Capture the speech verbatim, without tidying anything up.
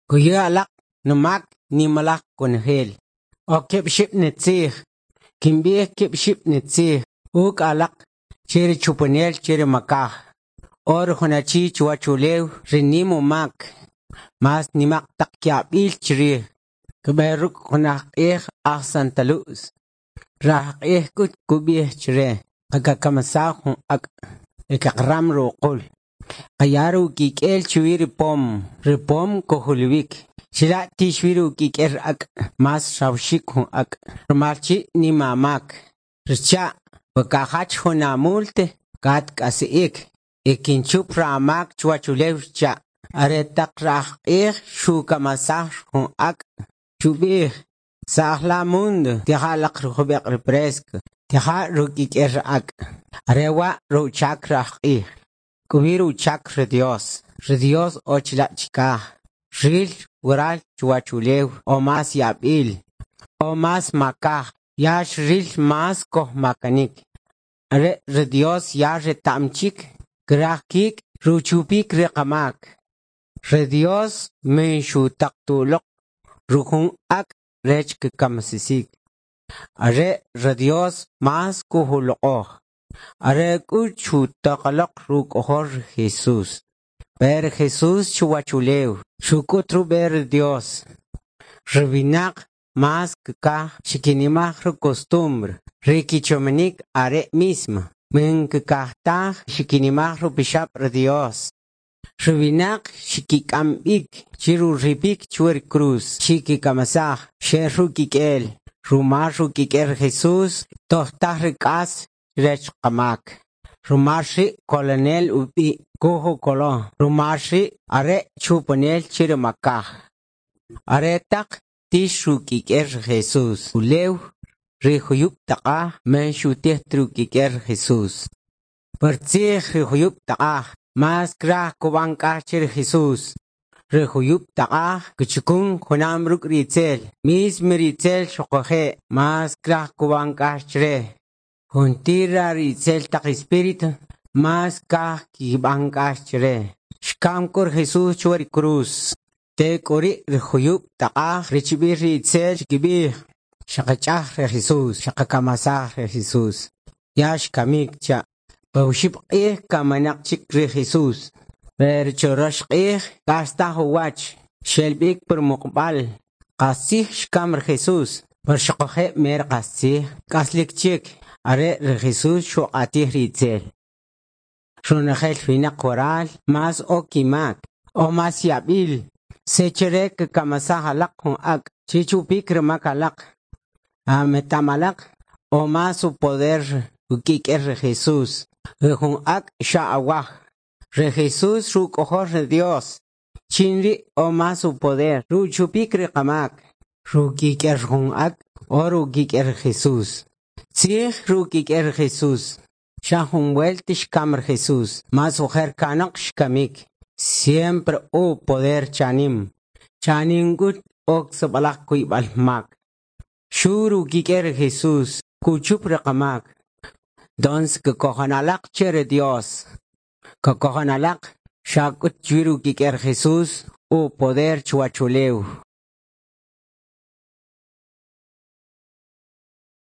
Kuya alaq numak nimalaj konojel. O keb' xib' nitzij. Kinb'ij keb' xib' nitzij uk' alaq che ri chupanel che ri makaj. O ri jun achi chuwachulew ri nim umak, mas nimaq taq yab'il chrij. Kb'e ruk' jun ajq'ij aj Santa Luz. Rajq'ij k'ut kub'ij chre: Qakamisaj jun ak' y kaqaram ruqul. Qaya rukik'el chuwi ri pom, ri pom kojuluwik. Chila' tix wi rukik'el ak' mas rajwaxik jun ak' rumal chi nim amak. Xcha' we kajach jun amulte katk'asi'ik y kinchup ramak chuwachulew xcha'. Aretaq rajq'ij xukamasaj jun ak' xub'ij: Sa'j la mundo tija alaq jub'iq' refresco, tija rukik'el ak'. Are wa' ruchak rajq'ij. K'o wi ruchak ri Dios. Ri Dios o chila' chikaj. Ril waral chuwachulew o mas yab'il, o mas makaj, ya xril mas kojmakanik. Are ri Dios ya reta'm chik kraj kik' ruchupik ri qamak. Ri Dios min xutaq tuloq rujun ak' rech kkamsisik. Are ri Dios mas kujuloq'oj. Are k'ut xutaqaloq ruk'ojol ri Jesús. Pero Jesús chuwachulew xuk'ut rub'e ri Dios. Ri winaq mas kkaj xkinimaj ri costumbre, ri kichomanik are' mismo. Min kkaj taj xkinimaj rupixab' ri Dios. Ri winaq xkik'am b'ik chiruripik chuwi ri cruz, xkikamasaj, xel rukik'el. Rumal rukik'el ri Jesús tojtaj ri k'as rech qamak. Rumal ri' kolonel ub'i' kujukolo. Rumal ri' are' chupanel che ri makaj. Aretaq tix rukik'el ri Jesús ulew ri juyub' taq'aj man xutij ta rukik'el ri Jesús. Partzij ri juyub' taq'aj mas kraj kub'an k'ax che ri Jesús. Ri juyub' taq'aj kchakun junam ruk' ri itzel. Mismo ri itzel xuquje' mas kraj kub'an k'ax chre. Juntir ri itzel taq espíritu mas kaj kib'an k'ax chre. Xkam k'u ri Jesús chuwi ri cruz. Tek'uri' ri juyub' taq'aj richib'il ri itzel xkib'ij: Xaqach'aj ri Jesús, xaqakamasaj ri Jesús. Ya xkamik cha'. Pa oxib' q'ij kaminaq chik ri Jesús. Pero chorox q'ij k'astaj uwach, xel b'ik pur muqb'al. Qastzij xkam ri Jesús, pero xuquje' mer qastzij k'aslik chik. Are ri Jesús xuq'atij ri itzel. Ronojel winaq waral mas o kimak, o mas yab'il. Sechere kakamasaj alaq jun ak' chichupik rimak alaq. Ametam alaq o mas upoder ukik'el ri Jesús. Ri jun ak' xa awaj. Ri Jesús ruk'ojol ri Dios. Chin ri' o mas upoder ruchupik ri qamak. Rukik'el jun ak' o rukik'el ri Jesús. Tzij rukik'el ri Jesús. Xa jun welt xkam ri Jesús. Mas ujer kanoq xkamik. Siempre o poder chanim. Chanim k'ut ok sib'alaj kuyb'al mak. Xu rukik'el ri Jesús kuchup ri qamak. Dons kkojon alaq che ri Dios. Kkojon alaq xa k'ut chwi rukik'el Jesús u poder chuwachulew.